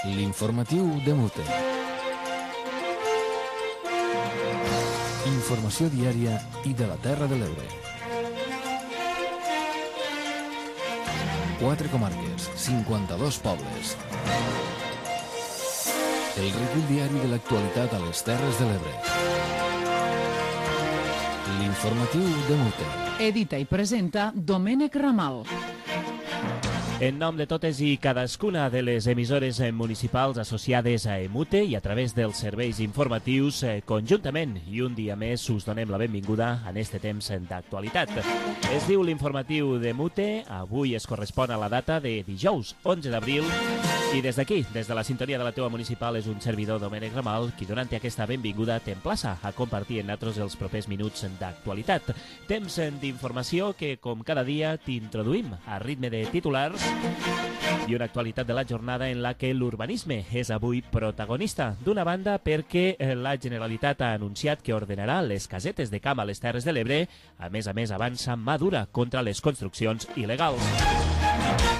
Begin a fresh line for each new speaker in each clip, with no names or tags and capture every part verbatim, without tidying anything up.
L'informatiu de Mute. Informació diària i de la Terra de l'Ebre. Quatre comarques, cinquanta-dos pobles. El recull diari de l'actualitat a les Terres de l'Ebre. L'informatiu de Mute.
Edita i presenta Domènec Ramal.
En nom de totes i cadascuna de les emissores municipals associades a Emute i a través dels serveis informatius, conjuntament i un dia més us donem la benvinguda en este temps d'actualitat. Es diu l'informatiu de Emute, avui es correspon a la data de dijous, onze d'abril, i des d'aquí, des de la sintonia de la teua municipal, és un servidor, Domènec Ramal, qui donant-te aquesta benvinguda t'emplaça a compartir amb nosaltres els propers minuts d'actualitat. Temps d'informació que, com cada dia, t'introduïm a ritme de titulars i una actualitat de la jornada en la que l'urbanisme és avui protagonista. D'una banda, perquè la Generalitat ha anunciat que ordenarà les casetes de camp a les Terres de l'Ebre, a més a més avança mà dura contra les construccions il·legals.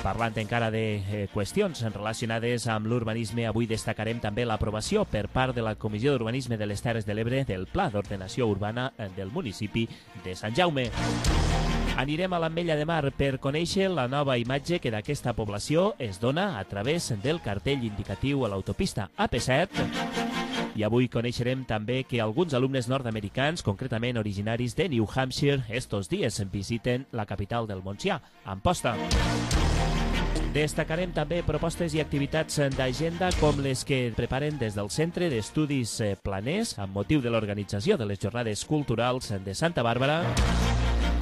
Parlant encara de eh, qüestions relacionades amb l'urbanisme, avui destacarem també l'aprovació per part de la Comissió d'Urbanisme de les Terres de l'Ebre del Pla d'Ordenació Urbana del municipi de Sant Jaume. Anirem a l'Ametlla de Mar per conèixer la nova imatge que d'aquesta població es dona a través del cartell indicatiu a l'autopista A P set. I avui coneixerem també que alguns alumnes nord-americans, concretament originaris de New Hampshire, estos dies visiten la capital del Montsià, Amposta. Destacarem també propostes i activitats d'agenda com les que preparen des del Centre d'Estudis Planers amb motiu de l'organització de les Jornades Culturals de Santa Bàrbara.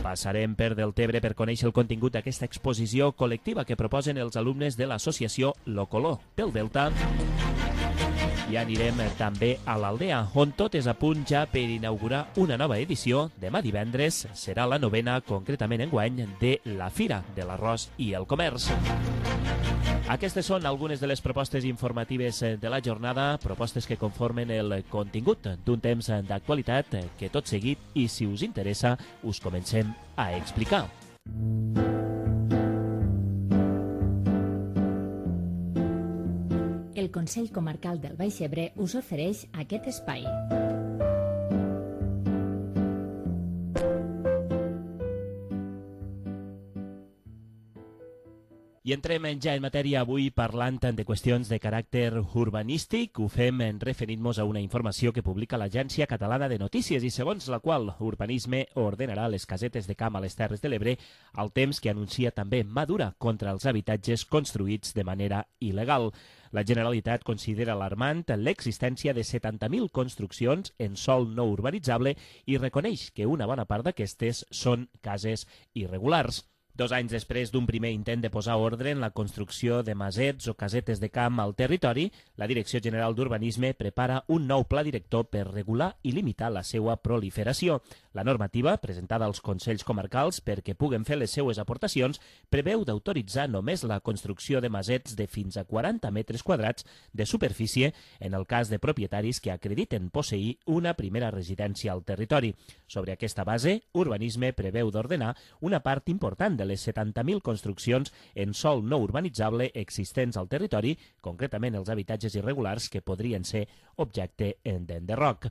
Passarem per Deltebre per conèixer el contingut d'aquesta exposició col·lectiva que proposen els alumnes de l'associació Locolor pel Delta. I anirem també a l'Aldea, on tot és a punt ja per inaugurar una nova edició. Demà divendres serà la novena, concretament enguany, de la Fira de l'Arròs i el Comerç. Aquestes són algunes de les propostes informatives de la jornada, propostes que conformen el contingut d'un temps d'actualitat que tot seguit, i si us interessa, us comencem a explicar.
El Consell Comarcal del Baix Ebre us ofereix aquest espai.
I entrem ja en matèria avui parlant de qüestions de caràcter urbanístic. Ho fem referint-nos a una informació que publica l'Agència Catalana de Notícies i segons la qual Urbanisme ordenarà les casetes de camp a les Terres de l'Ebre al temps que anuncia també mà dura contra els habitatges construïts de manera il·legal. La Generalitat considera alarmant l'existència de setanta mil construccions en sòl no urbanitzable i reconeix que una bona part d'aquestes són cases irregulars. Dos anys després d'un primer intent de posar ordre en la construcció de masets o casetes de camp al territori, la Direcció General d'Urbanisme prepara un nou pla director per regular i limitar la seva proliferació. La normativa, presentada als Consells Comarcals perquè puguen fer les seues aportacions, preveu d'autoritzar només la construcció de masets de fins a quaranta metres quadrats de superfície en el cas de propietaris que acrediten posseir una primera residència al territori. Sobre aquesta base, Urbanisme preveu d'ordenar una part important de les setanta mil construccions en sòl no urbanitzable existents al territori, concretament els habitatges irregulars que podrien ser objecte d'enderroc.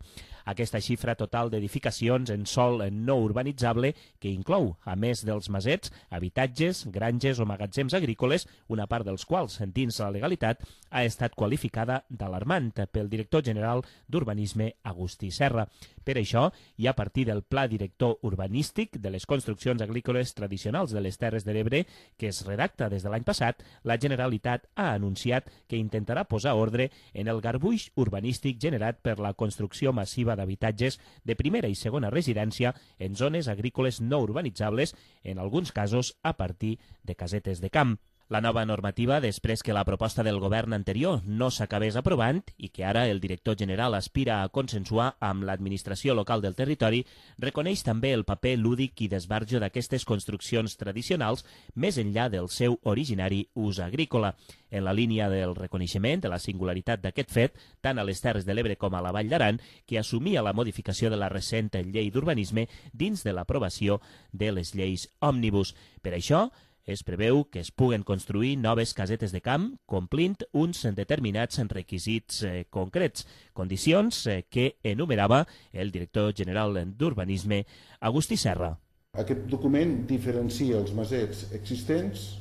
Aquesta xifra total d'edificacions en sòl no urbanitzable, que inclou, a més dels masets, habitatges, granges o magatzems agrícoles, una part dels quals, dins la legalitat, ha estat qualificada d'alarmant pel director general d'Urbanisme, Agustí Serra. Per això, i a partir del Pla Director Urbanístic de les Construccions Agrícoles Tradicionals de les Terres de l'Ebre, que es redacta des de l'any passat, la Generalitat ha anunciat que intentarà posar ordre en el garbuix urbanístic generat per la construcció massiva d'habitatges de primera i segona residència en zones agrícoles no urbanitzables, en alguns casos a partir de casetes de camp. La nova normativa, després que la proposta del govern anterior no s'acabés aprovant i que ara el director general aspira a consensuar amb l'administració local del territori, reconeix també el paper lúdic i d'esbarjo d'aquestes construccions tradicionals més enllà del seu originari ús agrícola. En la línia del reconeixement de la singularitat d'aquest fet, tant a les Terres de l'Ebre com a la Vall d'Aran, que assumia la modificació de la recent llei d'urbanisme dins de l'aprovació de les lleis òmnibus. Per això, es preveu que es puguen construir noves casetes de camp complint uns determinats requisits eh, concrets, condicions eh, que enumerava el director general d'Urbanisme, Agustí Serra.
Aquest document diferencia els masets existents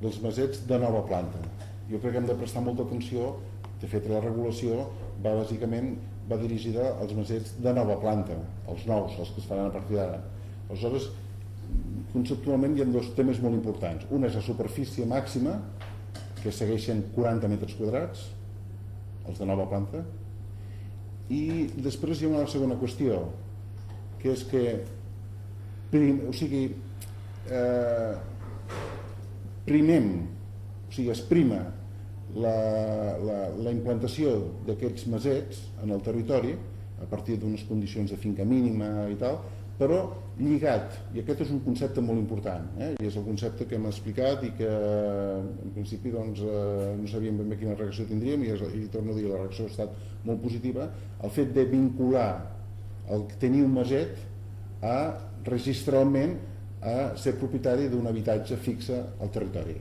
dels masets de nova planta. Jo crec que hem de prestar molta atenció. De fet, la regulació va bàsicament va dirigida als masets de nova planta, els nous, els que es faran a partir d'ara. Aleshores, conceptualment hi ha dos temes molt importants. Un és la superfície màxima, que segueixen quaranta metres quadrats, els de nova planta, i després hi ha una segona qüestió, que és que prim, o sigui, eh, primem, o sigui, es prima la, la, la implantació d'aquests masets en el territori a partir d'unes condicions de finca mínima i tal, però lligat, i aquest és un concepte molt important, eh? I és el concepte que hem explicat i que en principi doncs, eh, no sabíem ben bé quina reacció tindríem i, és, i torno a dir, la reacció ha estat molt positiva, el fet de vincular el tenir un maset a registralment a ser propietari d'un habitatge fixe al territori.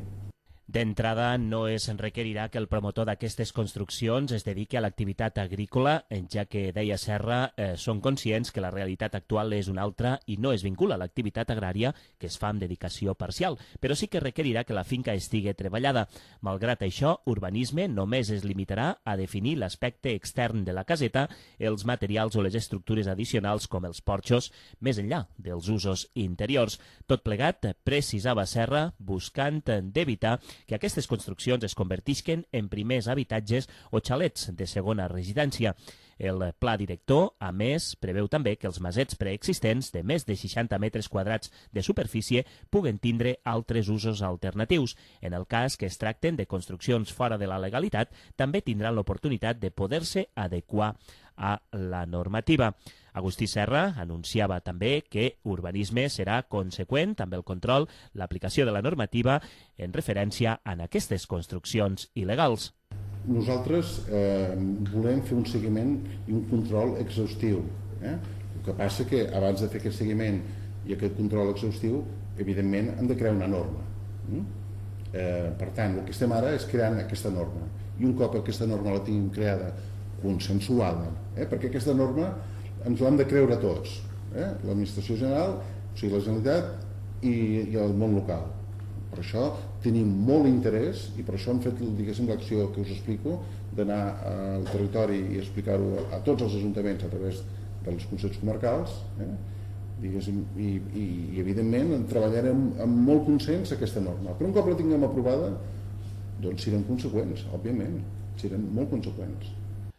D'entrada, no es requerirà que el promotor d'aquestes construccions es dediqui a l'activitat agrícola, ja que, deia Serra, eh, són conscients que la realitat actual és una altra i no es vincula a l'activitat agrària que es fa amb dedicació parcial, però sí que requerirà que la finca estigui treballada. Malgrat això, Urbanisme només es limitarà a definir l'aspecte extern de la caseta, els materials o les estructures addicionals com els porxos, més enllà dels usos interiors. Tot plegat, precisava Serra, buscant d'evitar que aquestes construccions es convertisquen en primers habitatges o xalets de segona residència. El pla director, a més, preveu també que els masets preexistents de més de seixanta metres quadrats de superfície puguen tindre altres usos alternatius. En el cas que es tracten de construccions fora de la legalitat, també tindran l'oportunitat de poder-se adequar a la normativa. Agustí Serra anunciava també que Urbanisme serà conseqüent amb el control, l'aplicació de la normativa en referència a aquestes construccions il·legals.
Nosaltres eh, volem fer un seguiment i un control exhaustiu. Eh? El que passa que abans de fer aquest seguiment i aquest control exhaustiu, evidentment hem de crear una norma. Eh, per tant, el que estem ara és creant aquesta norma. I un cop aquesta norma la tinguem creada, consensuada, eh? perquè aquesta norma ens l'hem de creure tots, eh? l'administració general, o sigui, la Generalitat i, i el món local. Per això tenim molt interès i per això hem fet l'acció que us explico d'anar al territori i explicar-ho a tots els ajuntaments a través dels consells comarcals, eh? diguéssim, i, i, i evidentment treballarem amb molt consens aquesta norma. Però un cop la tinguem aprovada, doncs serem conseqüents, òbviament, serem molt conseqüents.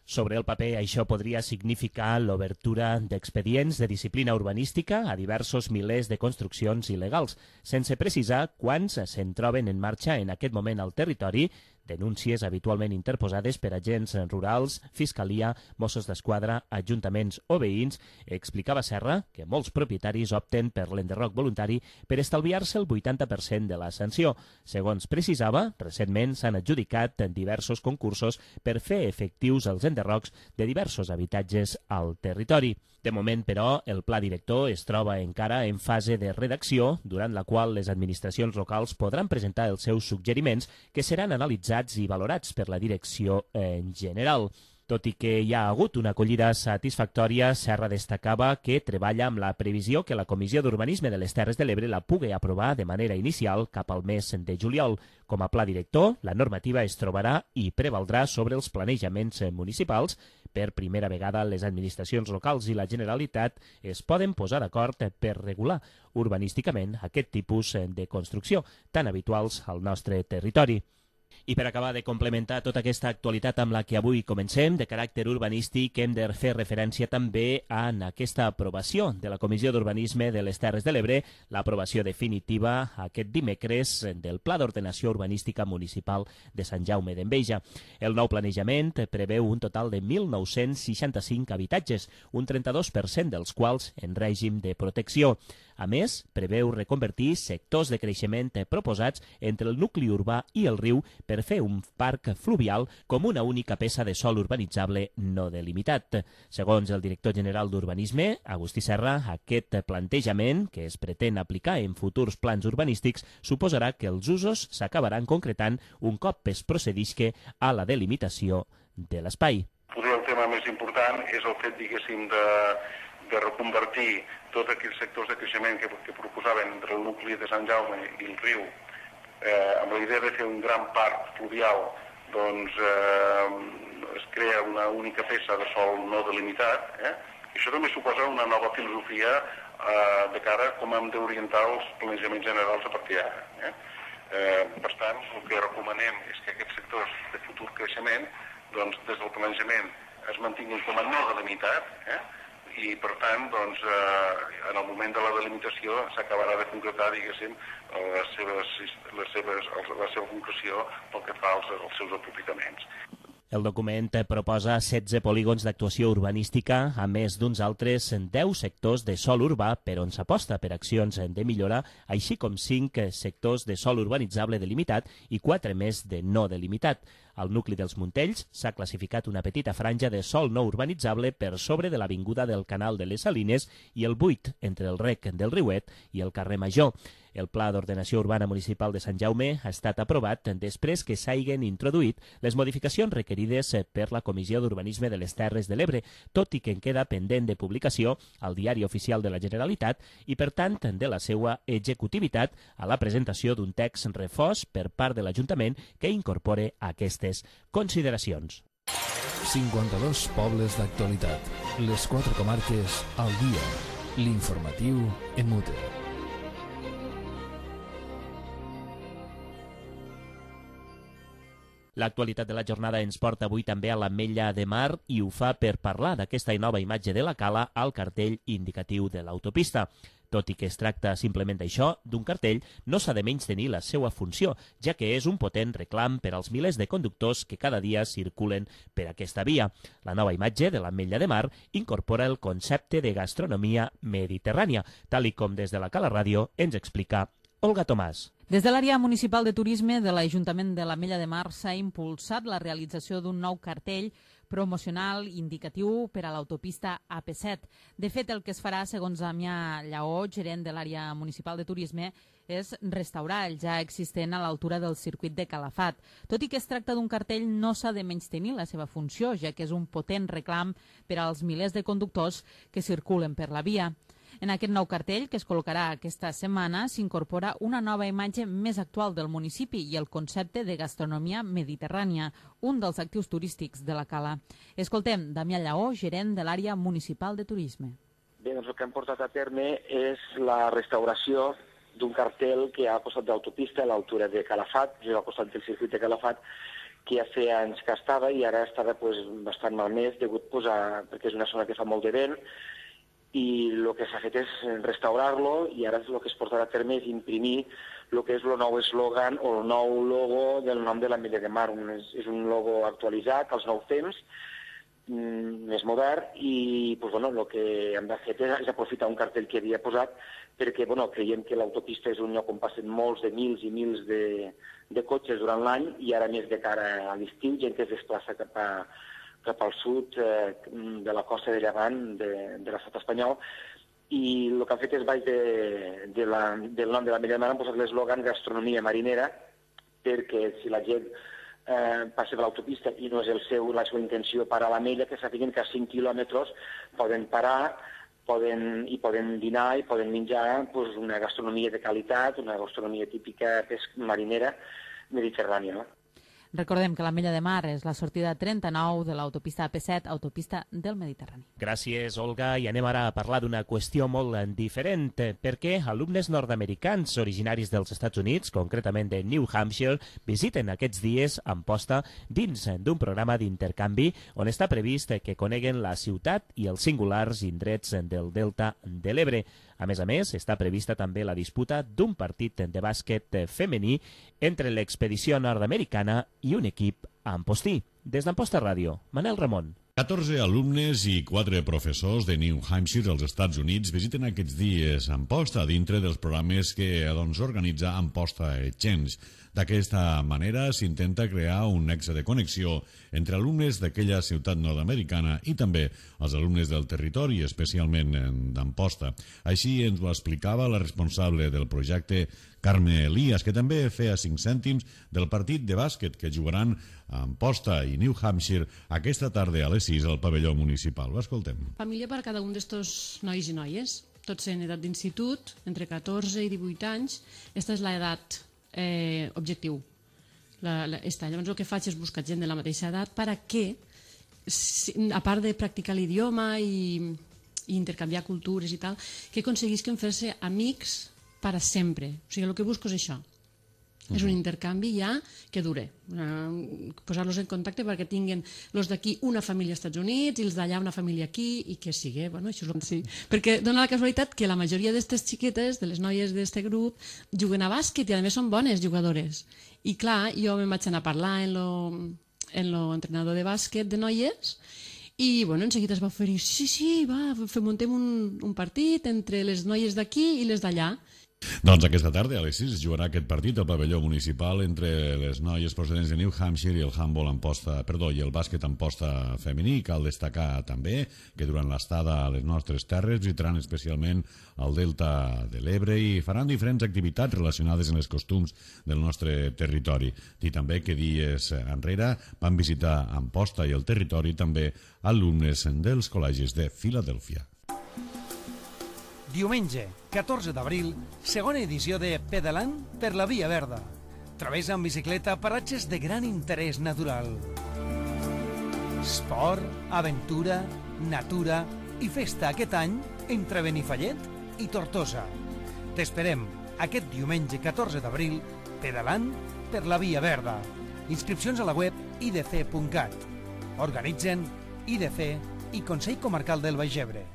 Sobre el paper, això podria significar l'obertura d'expedients de disciplina urbanística a diversos milers de construccions il·legals, sense precisar quants se'n troben en marxa en aquest moment al territori, denúncies habitualment interposades per agents rurals, Fiscalia, Mossos d'Esquadra, ajuntaments o veïns. Explicava Serra que molts propietaris opten per l'enderroc voluntari per estalviar-se el vuitanta per cent de la sanció. Segons precisava, recentment s'han adjudicat diversos concursos per fer efectius els enderrocs de diversos habitatges al territori. De moment, però, el pla director es troba encara en fase de redacció, durant la qual les administracions locals podran presentar els seus suggeriments que seran analitzats i valorats per la direcció en general. Tot i que hi ha hagut una acollida satisfactòria, Serra destacava que treballa amb la previsió que la Comissió d'Urbanisme de les Terres de l'Ebre la pugui aprovar de manera inicial cap al mes de juliol. Com a pla director, la normativa es trobarà i prevaldrà sobre els planejaments municipals. Per primera vegada, les administracions locals i la Generalitat es poden posar d'acord per regular urbanísticament aquest tipus de construcció, tan habituals al nostre territori. I per acabar de complementar tota aquesta actualitat amb la que avui comencem, de caràcter urbanístic, hem de fer referència també a aquesta aprovació de la Comissió d'Urbanisme de les Terres de l'Ebre, l'aprovació definitiva aquest dimecres del Pla d'Ordenació Urbanística Municipal de Sant Jaume d'Enveja. El nou planejament preveu un total de mil nou-cents seixanta-cinc habitatges, un trenta-dos per cent dels quals en règim de protecció. A més, preveu reconvertir sectors de creixement proposats entre el nucli urbà i el riu per fer un parc fluvial com una única peça de sòl urbanitzable no delimitat. Segons el director general d'Urbanisme, Agustí Serra, aquest plantejament, que es pretén aplicar en futurs plans urbanístics, suposarà que els usos s'acabaran concretant un cop es procedisca a la delimitació de l'espai.
Potser el tema més important és el fet, diguéssim, de, de reconvertir tots aquells sectors de creixement que, que proposaven entre el nucli de Sant Jaume i el riu, eh, amb la idea de fer un gran parc fluvial, doncs eh, es crea una única peça de sòl no delimitat. Eh? I això també suposa una nova filosofia eh, de cara a com hem d'orientar els planejaments generals a partir d'ara. Eh? Eh, per tant, el que recomanem és que aquests sectors de futur creixement, doncs, des del planejament es mantinguin com a no delimitat, eh? I per tant, doncs, eh, en el moment de la delimitació s'acabarà de concretar, diguéssim, les seves, les seves, la seva concreció pel que fa als, als seus aprofitaments.
El document proposa setze polígons d'actuació urbanística, a més d'uns altres deu sectors de sòl urbà per on s'aposta per accions de millora, així com cinc sectors de sòl urbanitzable delimitat i quatre més de no delimitat. Al nucli dels Montells s'ha classificat una petita franja de sòl no urbanitzable per sobre de l'avinguda del Canal de les Salines i el buit entre el rec del Riuet i el carrer Major. El Pla d'Ordenació Urbana Municipal de Sant Jaume ha estat aprovat després que s'hagin introduït les modificacions requerides per la Comissió d'Urbanisme de les Terres de l'Ebre, tot i que en queda pendent de publicació al Diari Oficial de la Generalitat i, per tant, de la seva executivitat a la presentació d'un text refós per part de l'Ajuntament que incorpore aquestes consideracions.
cinquanta-dos pobles d'actualitat. Les quatre comarques al dia. L'informatiu en mute.
L'actualitat de la jornada ens porta avui també a l'Ametlla de Mar i ho fa per parlar d'aquesta nova imatge de la cala al cartell indicatiu de l'autopista. Tot i que es tracta simplement d'això, d'un cartell, no s'ha de menystenir la seva funció, ja que és un potent reclam per als milers de conductors que cada dia circulen per aquesta via. La nova imatge de l'Ametlla de Mar incorpora el concepte de gastronomia mediterrània, tal i com des de la Cala Ràdio ens explica Olga Tomàs.
Des de l'àrea municipal de turisme de l'Ajuntament de l'Ametlla de Mar s'ha impulsat la realització d'un nou cartell promocional indicatiu per a l'autopista A P set. De fet, el que es farà, segons Damià Lleó, gerent de l'àrea municipal de turisme, és restaurar el ja existent a l'altura del circuit de Calafat. Tot i que es tracta d'un cartell, no s'ha de menystenir la seva funció, ja que és un potent reclam per als milers de conductors que circulen per la via. En aquest nou cartell, que es col·locarà aquesta setmana, s'incorpora una nova imatge més actual del municipi i el concepte de gastronomia mediterrània, un dels actius turístics de la cala. Escoltem Damià Lleó, gerent de l'àrea municipal de turisme.
Bé, doncs el que hem portat a terme és la restauració d'un cartell que ha al costat d'autopista a l'altura de Calafat, just al costat del circuit de Calafat, que ja feia anys que estava i ara estava pues, bastant malmès, degut pues, a, perquè és una zona que fa molt de vent, i el que s'ha fet és restaurar-lo i ara el que es portarà a terme és imprimir el que és el nou eslògan o el nou logo del nom de l'Ametlla de Mar. És, és un logo actualitzat als nous temps, més modern, i pues, bueno, el que hem de fer és aprofitar un cartell que havia posat perquè bueno, creiem que l'autopista és un lloc on passen molts de mils i mils de, de cotxes durant l'any i ara més de cara a l'estiu, gent que es desplaça cap a cap al sud eh, de la costa de Llevant de, de l'estat espanyol, i el que han fet és baix de, de la, del nom de l'Ametlla de Mar han posat l'eslògan gastronomia marinera, perquè si la gent eh, passa per l'autopista i no és el seu, la seva intenció parar a l'Ametlla, que sàpiguen que a cinc quilòmetres poden parar poden, i poden dinar i poden menjar pues, una gastronomia de qualitat, una gastronomia típica marinera mediterrània, no?
Recordem que l'Ametlla de Mar és la sortida trenta-nou de l'autopista A P set, autopista del Mediterrani.
Gràcies, Olga. I anem ara a parlar d'una qüestió molt diferent, perquè alumnes nord-americans originaris dels Estats Units, concretament de New Hampshire, visiten aquests dies Amposta dins d'un programa d'intercanvi on està previst que coneguen la ciutat i els singulars indrets del Delta de l'Ebre. A més a més, està prevista també la disputa d'un partit de bàsquet femení entre l'expedició nord-americana i un equip ampostí. Des d'Amposta Ràdio, Manel Ramon.
catorze alumnes i quatre professors de New Hampshire, als Estats Units, visiten aquests dies Amposta dintre dels programes que doncs, organitza Amposta Exchange. D'aquesta manera s'intenta crear un nexe de connexió entre alumnes d'aquella ciutat nord-americana i també els alumnes del territori, especialment d'Amposta. Així ens ho explicava la responsable del projecte, Carme Elias, que també feia cinc cèntims del partit de bàsquet que jugaran a Amposta i New Hampshire aquesta tarda a les sis al pavelló municipal. Ho escoltem.
Família per a cada un d'estos nois i noies, tots en edat d'institut, entre catorze i divuit anys. Aquesta és l'edat eh, objectiu. La, la, esta. Llavors el que faig és buscar gent de la mateixa edat per a que, a part de practicar l'idioma i, i intercanviar cultures i tal, que aconseguisquen fer-se amics per a sempre. O sigui, el que busco és això. Uh-huh. És un intercanvi ja que dure. Uh, posar-los en contacte perquè tinguin els d'aquí una família als Estats Units i els d'allà una família aquí i que sigui, bueno, això és el que sí. Perquè dona la casualitat que la majoria d'aquestes xiquetes, de les noies d'aquest grup, juguen a bàsquet i a més són bones jugadores. I clar, jo me'n vaig anar a parlar en lo, en lo entrenador de bàsquet de noies i bueno, en seguida es va oferir, sí, sí, va, muntem un, un partit entre les noies d'aquí i les d'allà.
Doncs aquesta tarda a les sis es jugarà aquest partit al pavelló municipal entre les noies procedents de New Hampshire i el handball Amposta, perdó, i el bàsquet Amposta femení. Cal destacar també que durant l'estada a les nostres terres visitaran especialment el Delta de l'Ebre i faran diferents activitats relacionades amb els costums del nostre territori. I també que dies enrere van visitar Amposta i el territori també alumnes dels col·legis de Filadèlfia.
Diumenge, catorze d'abril, segona edició de Pedalant per la Via Verda. Travessa amb bicicleta paratges de gran interès natural. Esport, aventura, natura i festa aquest any entre Benifallet i Tortosa. T'esperem aquest diumenge catorze d'abril, Pedalant per la Via Verda. Inscripcions a la web i d c punt cat. Organitzen I D C i Consell Comarcal del Baix Ebre.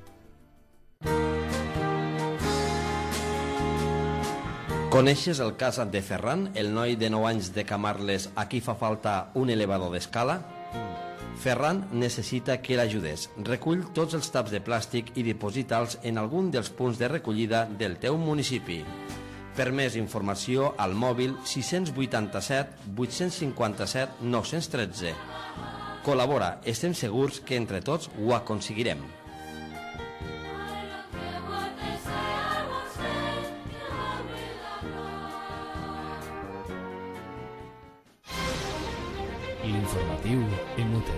Coneixes el cas de Ferran, el noi de nou anys de Camarles a qui fa falta un elevador d'escala? Ferran necessita que l'ajudes. Recull tots els taps de plàstic i diposita'ls en algun dels punts de recollida del teu municipi. Per més informació al mòbil sis vuitanta-set vuit cinquanta-set nou tretze. Col·labora, estem segurs que entre tots ho aconseguirem.
L'informatiu Emute.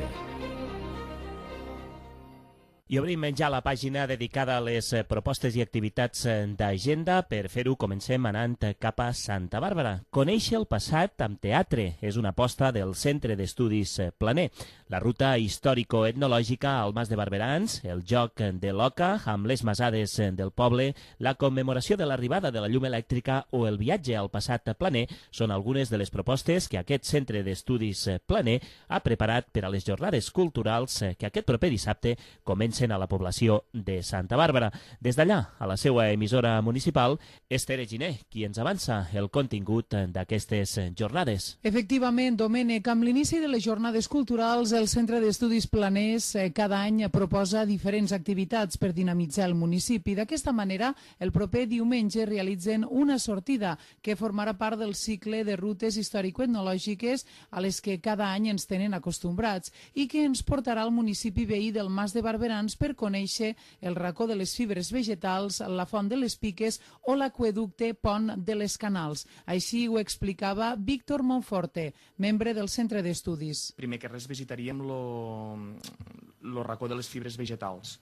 I obrim ja la pàgina dedicada a les propostes i activitats d'agenda. Per fer-ho comencem anant cap a Santa Bàrbara. Conèixer el passat amb teatre és una aposta del Centre d'Estudis Planer. La ruta històrico-etnològica al Mas de Barberans, el joc de l'Oca amb les masades del poble, la commemoració de l'arribada de la llum elèctrica o el viatge al passat planer són algunes de les propostes que aquest Centre d'Estudis Planer ha preparat per a les jornades culturals que aquest proper dissabte comencen a la població de Santa Bàrbara. Des d'allà, a la seva emissora municipal, Esther Giner, qui ens avança el contingut d'aquestes jornades.
Efectivament, Domènec, amb l'inici de les jornades culturals, el Centre d'Estudis Planers eh, cada any proposa diferents activitats per dinamitzar el municipi. D'aquesta manera, el proper diumenge realitzen una sortida que formarà part del cicle de rutes històrico-etnològiques a les que cada any ens tenen acostumbrats i que ens portarà al municipi veí del Mas de Barberans per conèixer el racó de les fibres vegetals, la font de les Piques o l'aqüeducte Pont de les Canals. Així ho explicava Víctor Monforte, membre del Centre d'Estudis.
Primer que res visitaríem el racó de les fibres vegetals,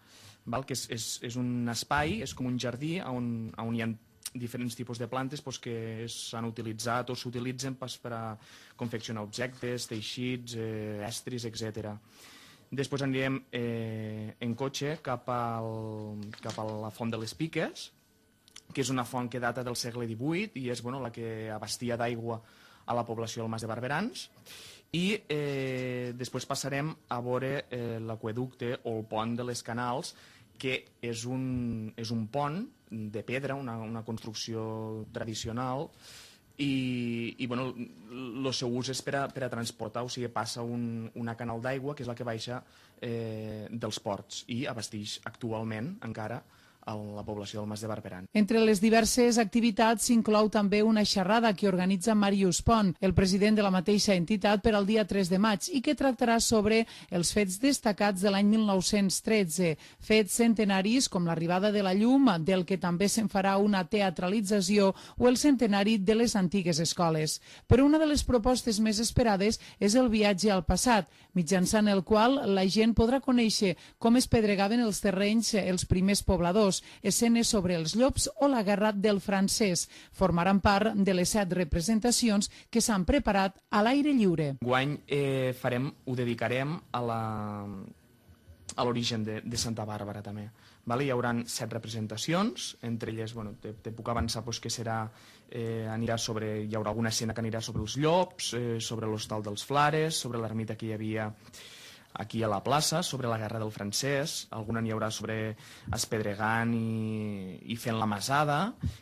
val? Que és, és, és un espai, és com un jardí on, on hi ha diferents tipus de plantes pues, que s'han utilitzat o s'utilitzen pues, per a confeccionar objectes, teixits, eh, estris, etcètera. Després anirem eh, en cotxe cap, al, cap a la font de les Piques, que és una font que data del segle divuit i és bueno, la que abastia d'aigua a la població del Mas de Barberans. I eh, després passarem a veure eh, l'aqüeducte o el pont de les Canals, que és un, és un pont de pedra, una, una construcció tradicional, i, i bueno, el seu ús és per a, per a transportar, o sigui, passa un, una canal d'aigua que és la que baixa eh, dels ports i abasteix actualment encara a la població del Mas de Barberan.
Entre les diverses activitats s'inclou també una xerrada que organitza Màrius Pont, el president de la mateixa entitat, per al dia tres de maig i que tractarà sobre els fets destacats de l'any mil nou-cents tretze, fets centenaris com l'arribada de la llum, del que també se'n farà una teatralització, o el centenari de les antigues escoles. Però una de les propostes més esperades és el viatge al passat, mitjançant el qual la gent podrà conèixer com es pedregaven els terrenys els primers pobladors, escenes sobre els llops o la guerra del francès. Formaran part de les set representacions que s'han preparat a l'aire lliure.
Enguany eh, farem, ho dedicarem a la a l'origen de, de Santa Bàrbara també. Vale? Hi haurà set representacions, entre elles, bueno, te, te puc avançar pues, que serà, eh, anirà sobre, hi haurà alguna escena que anirà sobre els llops, eh, sobre l'hostal dels Flares, sobre l'ermita que hi havia aquí a la plaça, sobre la guerra del francès, alguna n'hi haurà sobre espedregant i, i fent la masada,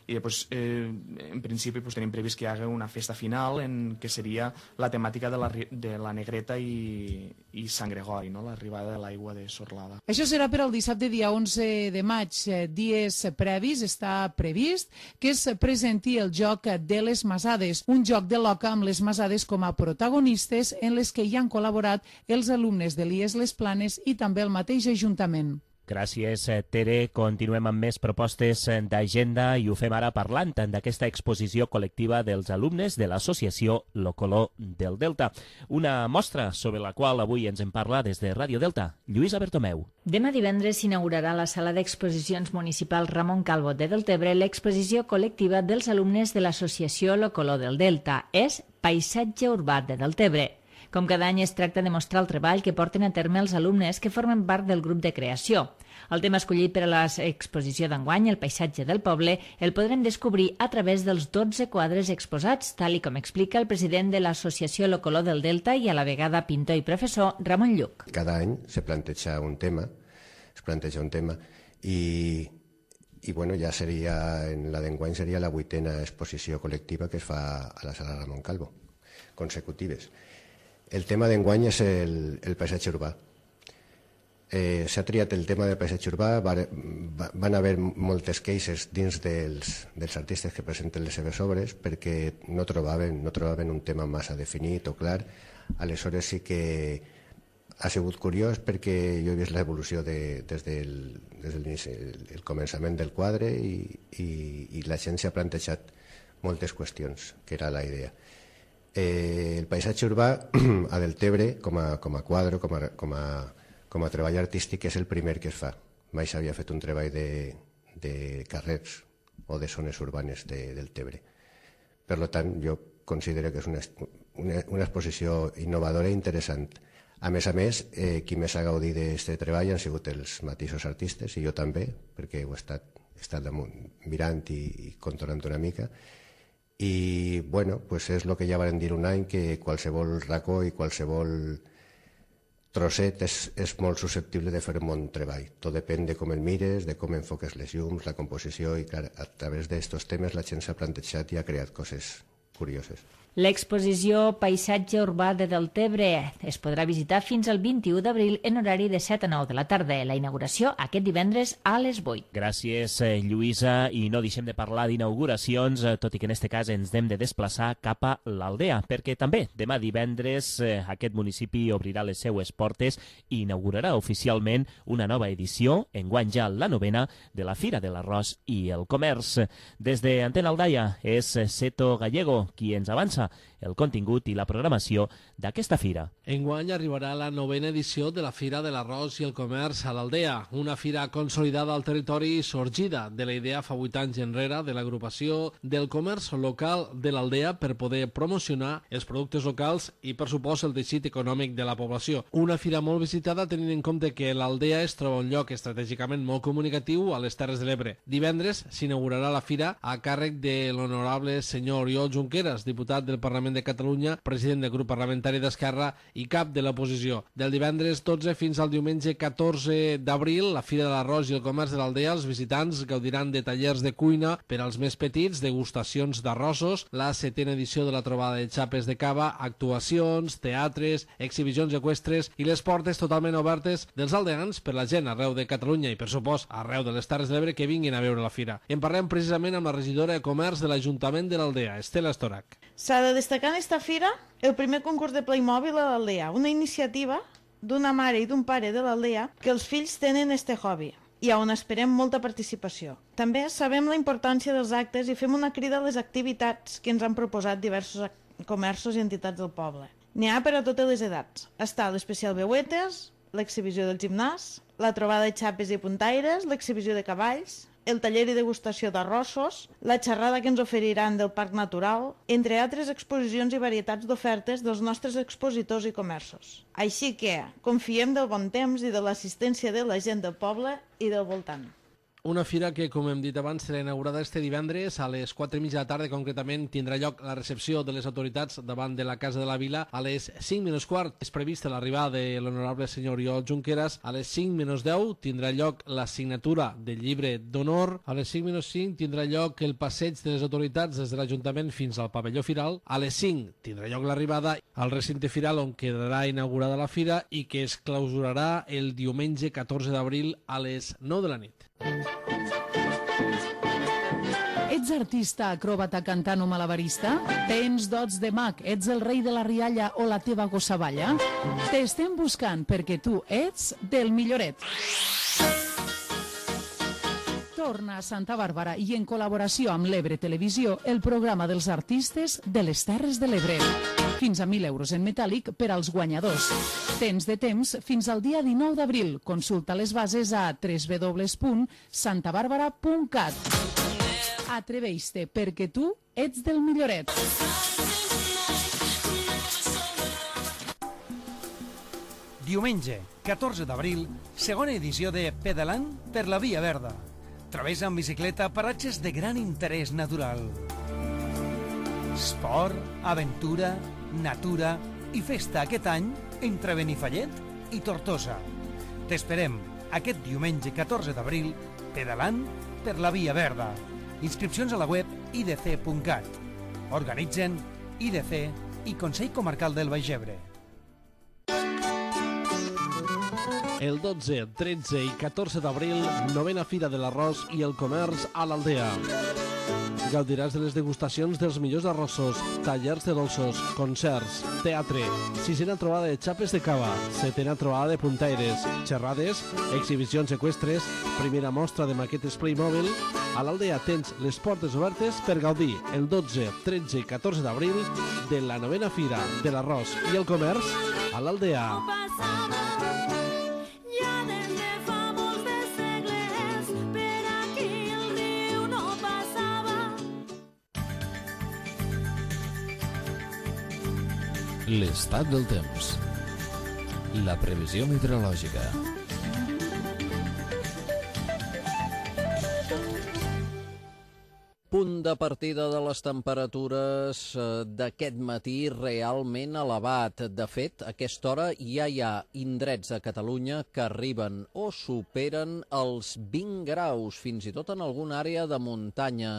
i després, eh, en principi, pues, tenim previst que hi hagi una festa final en que seria la temàtica de la, de la Negreta i, i Sant Gregori, no? L'arribada de l'aigua de Sorlada.
Això serà per al dissabte dia onze de maig. Dies previs està previst que es presenti el joc de les Masades, un joc de l'Oca amb les Masades com a protagonistes en les que hi han col·laborat els alumnes de l'I E S Les Planes i també el mateix Ajuntament.
Gràcies, Tere. Continuem amb més propostes d'agenda i ho fem ara parlant d'aquesta exposició col·lectiva dels alumnes de l'associació Lo Color del Delta. Una mostra sobre la qual avui ens en parla des de Ràdio Delta, Lluïsa Bertomeu.
Demà divendres s'inaugurarà a la sala d'exposicions municipal Ramon Calvo de Deltebre l'exposició col·lectiva dels alumnes de l'associació Lo Color del Delta. És Paisatge Urbà de Deltebre. Com cada any es tracta de mostrar el treball que porten a terme els alumnes que formen part del grup de creació. El tema escollit per a l'exposició d'enguany, el paisatge del poble, el podrem descobrir a través dels dotze quadres exposats, tal i com explica el president de l'associació Lo Color del Delta i a la vegada pintor i professor, Ramon Lluc.
Cada any se planteja un tema, es planteja un tema i, i bueno, ja seria, en la d'enguany seria la vuitena exposició col·lectiva que es fa a la sala Ramon Calvo, consecutives. El tema d'enguany és el, el paisatge urbà. Eh, S'ha triat el tema del paisatge urbà, va, va, van haver moltes queixes dins dels, dels artistes que presenten les seves obres perquè no trobaven, no trobaven un tema massa definit o clar. Aleshores sí que ha sigut curiós perquè jo he vist l'evolució de, des del, des del el, el començament del quadre i, i, i la gent s'ha plantejat moltes qüestions, que era la idea. Eh, el paisatge urbà a Deltebre, com a, com a quadre, com a, com, a, com a treball artístic, és el primer que es fa. Mai s'havia fet un treball de, de carrers o de zones urbanes de Deltebre. Per tant, jo considero que és una, una, una exposició innovadora i interessant. A més a més, eh, qui més ha gaudit d'aquest treball han sigut els mateixos artistes, i jo també, perquè ho he estat, he estat damunt, mirant i, i controlant una mica. I bueno, pues és el que ja van dir un any, que qualsevol racó i qualsevol trosset és, és molt susceptible de fer un bon treball. Tot depèn de com el mires, de com enfoques les llums, la composició, i clar, a través d'aquests temes la gent s'ha plantejat i ha creat coses curioses.
L'exposició Paisatge Urbà de Deltebre es podrà visitar fins al vint-i-u d'abril en horari de set a nou de la tarda. La inauguració aquest divendres a les vuit.
Gràcies, Lluïsa. I no deixem de parlar d'inauguracions, tot i que en aquest cas ens hem de desplaçar cap a l'Aldea, perquè també demà divendres aquest municipi obrirà les seues portes i inaugurarà oficialment una nova edició, enguany ja la novena, de la Fira de l'Arròs i el Comerç. Des d'Antena Aldaia és Seto Gallego qui ens avança el contingut i la programació d'aquesta fira.
Enguany arribarà la novena edició de la Fira de l'Arròs i el Comerç a l'Aldea, una fira consolidada al territori i sorgida de la idea fa vuit anys enrere de l'agrupació del comerç local de l'Aldea per poder promocionar els productes locals i, per supost, el teixit econòmic de la població. Una fira molt visitada tenint en compte que l'Aldea es troba un lloc estratègicament molt comunicatiu a les Terres de l'Ebre. Divendres s'inaugurarà la fira a càrrec de l'honorable senyor Oriol Junqueras, diputat de del Parlament de Catalunya, president del grup parlamentari d'Esquerra i cap de l'oposició. Del divendres dotze fins al diumenge catorze d'abril, la Fira de l'Arròs i el Comerç de l'Aldea, els visitants gaudiran de tallers de cuina per als més petits, degustacions d'arrossos, la setena edició de la trobada de xapes de cava, actuacions, teatres, exhibicions eqüestres i les portes totalment obertes dels aldeans per la gent arreu de Catalunya i, per supost, arreu de les Terres de l'Ebre que vinguin a veure la fira. I en parlem precisament amb la regidora de Comerç de l'Ajuntament de l'Aldea, Estela Estorac.
S'ha de destacar en esta fira el primer concurs de Playmobil a l'Aldea, una iniciativa d'una mare i d'un pare de l'Aldea que els fills tenen este hobby i on esperem molta participació. També sabem la importància dels actes i fem una crida a les activitats que ens han proposat diversos comerços i entitats del poble. N'hi ha per a totes les edats. Està l'especial Veuetes, l'exhibició del gimnàs, la trobada de xapes i puntaires, l'exhibició de cavalls, el taller i degustació d'arrossos, la xerrada que ens oferiran del Parc Natural, entre altres exposicions i varietats d'ofertes dels nostres expositors i comerços. Així que confiem del bon temps i de l'assistència de la gent del poble i del voltant.
Una fira que, com hem dit abans, serà inaugurada este divendres a les quatre i mitja de la tarda. Concretament, tindrà lloc la recepció de les autoritats davant de la Casa de la Vila a les cinc menys quart. És prevista l'arribada de l'honorable senyor Oriol Junqueras. A les cinc menys deu tindrà lloc la signatura del llibre d'honor. A les cinc menys cinc tindrà lloc el passeig de les autoritats des de l'Ajuntament fins al pavelló firal. A les cinc tindrà lloc l'arribada al recinte firal on quedarà inaugurada la fira i que es clausurarà el diumenge catorze d'abril a les nou de la nit.
Ets artista, acròbata, cantant o malabarista? Tens dots de mag, ets el rei de la rialla o la teva gossavalla? T'estem buscant perquè tu ets del milloret. Torna a Santa Bàrbara i en col·laboració amb l'Ebre Televisió el programa dels artistes de les Terres de l'Ebre. Fins a mil euros en metàl·lic per als guanyadors. Tens de temps fins al dia dinou d'abril. Consulta les bases a w w w punt santa bàrbara punt cat. Atreveix-te perquè tu ets del milloret.
Diumenge, catorze d'abril, segona edició de Pedalant per la Via Verda. Travessa en bicicleta paratges de gran interès natural. Esport, aventura, natura i festa aquest any entre Benifallet i Tortosa. T'esperem aquest diumenge catorze d'abril pedalant per la Via Verda. Inscripcions a la web i d c punt cat. Organitzen I D C i Consell Comarcal del Baix Ebre.
El dotze, tretze i catorze d'abril, novena Fira de l'Arròs i el Comerç a l'Aldea. Gaudiràs de les degustacions dels millors arrossos, tallers de dolços, concerts, teatre, sisena trobada de xapes de cava, setena trobada de puntaires, xerrades, exhibicions eqüestres, primera mostra de maquetes Playmobil. A l'Aldea tens les portes obertes per gaudir el dotze, tretze i catorze d'abril de la novena Fira de l'Arròs i el Comerç a l'Aldea.
L'estat del temps. La previsió meteorològica.
Punt de partida de les temperatures d'aquest matí realment elevat. De fet, a aquesta hora ja hi ha indrets a Catalunya que arriben o superen els vint graus, fins i tot en alguna àrea de muntanya.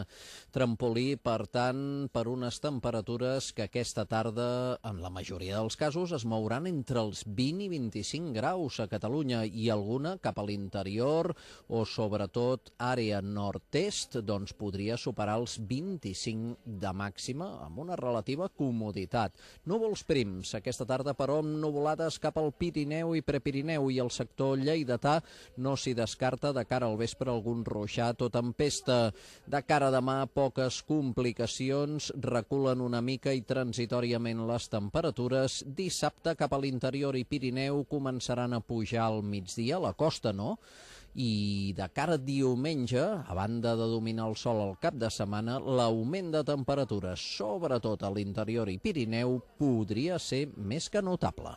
Trampolí, per tant, per unes temperatures que aquesta tarda, en la majoria dels casos, es mouran entre els vint i vint-i-cinc graus a Catalunya i alguna cap a l'interior o, sobretot, àrea nord-est, doncs podria superar els vint-i-cinc de màxima amb una relativa comoditat. Núvols prims aquesta tarda, però amb nuvolades cap al Pirineu i Prepirineu i el sector lleidatà no s'hi descarta de cara al vespre algun ruixat o tempesta. De cara a demà, poques complicacions, reculen una mica i transitòriament les temperatures. Dissabte cap a l'interior i Pirineu començaran a pujar al migdia, a la costa no, i de cara a diumenge, a banda de dominar el sol al cap de setmana, l'augment de temperatures, sobretot a l'interior i Pirineu, podria ser més que notable.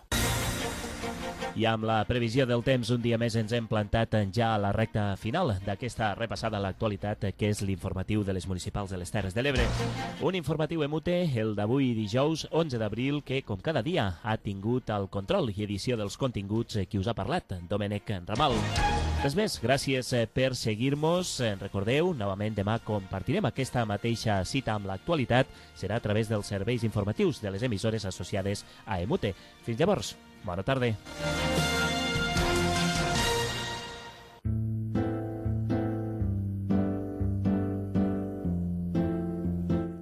I amb la previsió del temps, un dia més ens hem plantat ja a la recta final d'aquesta repassada a l'actualitat, que és l'informatiu de les municipals de les Terres de l'Ebre. Un informatiu emute, el d'avui dijous onze d'abril, que, com cada dia, ha tingut el control i edició dels continguts qui us ha parlat, Domènec Ramal. Res més, gràcies per seguir-nos. Recordeu, novament demà compartirem aquesta mateixa cita amb l'actualitat. Serà a través dels serveis informatius de les emissores associades a Emute. Fins llavors, bona tarda.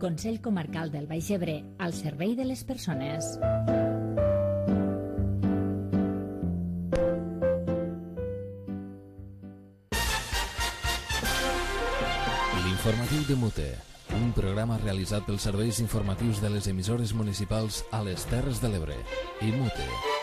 Consell Comarcal del Baix Ebre, al servei de les persones.
L'informatiu de Mute, un programa realitzat pels serveis informatius de les emissores municipals a les Terres de l'Ebre i Mute.